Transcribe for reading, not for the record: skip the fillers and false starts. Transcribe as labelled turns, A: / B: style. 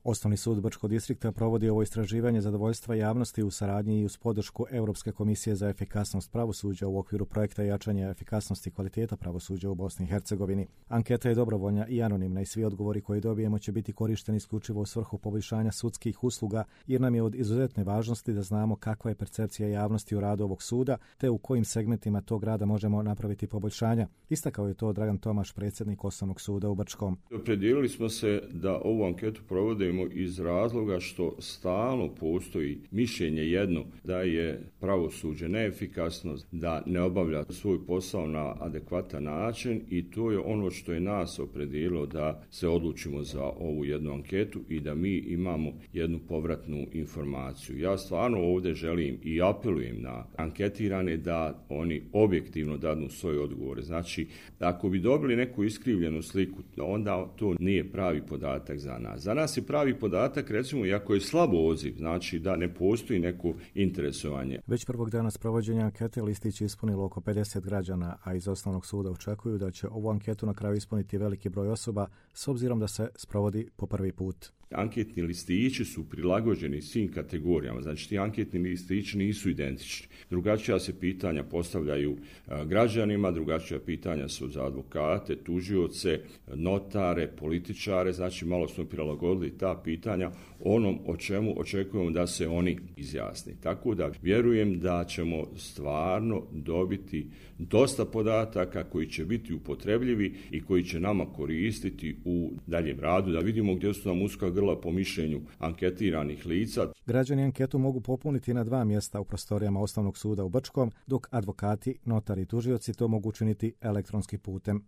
A: Osnovni sud Brčkog distrikta provodi ovo istraživanje zadovoljstva javnosti u saradnji i uz podršku Europske komisije za efikasnost pravosuđa u okviru projekta jačanja efikasnosti i kvaliteta pravosuđa u Bosni i Hercegovini. Anketa je dobrovoljna i anonimna i svi odgovori koje dobijemo će biti korišteni isključivo u svrhu poboljšanja sudskih usluga, jer nam je od izuzetne važnosti da znamo kakva je percepcija javnosti u radu ovog suda, te u kojim segmentima tog rada možemo napraviti poboljšanja. Istakao je to Dragan Tomaš, predsjednik Osnovnog suda u Brčkom.
B: Opredijelili smo se da ovu anketu provodimo iz razloga što stalno postoji mišljenje jedno da je pravosuđe neefikasno, da ne obavlja svoj posao na adekvatan način i to je ono što je nas opredijelilo da se odlučimo za ovu jednu anketu i da mi imamo jednu povratnu informaciju. Ja stvarno ovdje želim i apelujem na anketirane da oni objektivno dadnu svoje odgovore. Znači, ako bi dobili neku iskrivljenu sliku, onda to nije pravi podatak za nas. Za nas je pravi podatak, recimo, iako je slabo odziv, znači da ne postoji neko interesovanje.
A: Već prvog dana sprovođenja ankete listić je ispunilo oko 50 građana, a iz Osnovnog suda očekuju da će ovu anketu na kraju ispuniti veliki broj osoba s obzirom da se sprovodi po prvi put.
B: Anketni listići su prilagođeni svim kategorijama, znači ti anketni listići nisu identični. Drugačija se pitanja postavljaju građanima, drugačija pitanja su za advokate, tužioce, notare, političare, znači malo smo prilagodili ta pitanja onom o čemu očekujemo da se oni izjasni. Tako da vjerujem da ćemo stvarno dobiti dosta podataka koji će biti upotrebljivi i koji će nama koristiti u daljem radu, da vidimo gdje su nam uska grla po mišljenju anketiranih lica.
A: Građani anketu mogu popuniti na 2 mjesta u prostorijama Osnovnog suda u Brčkom, dok advokati, notari i tužioci to mogu učiniti elektronskim putem.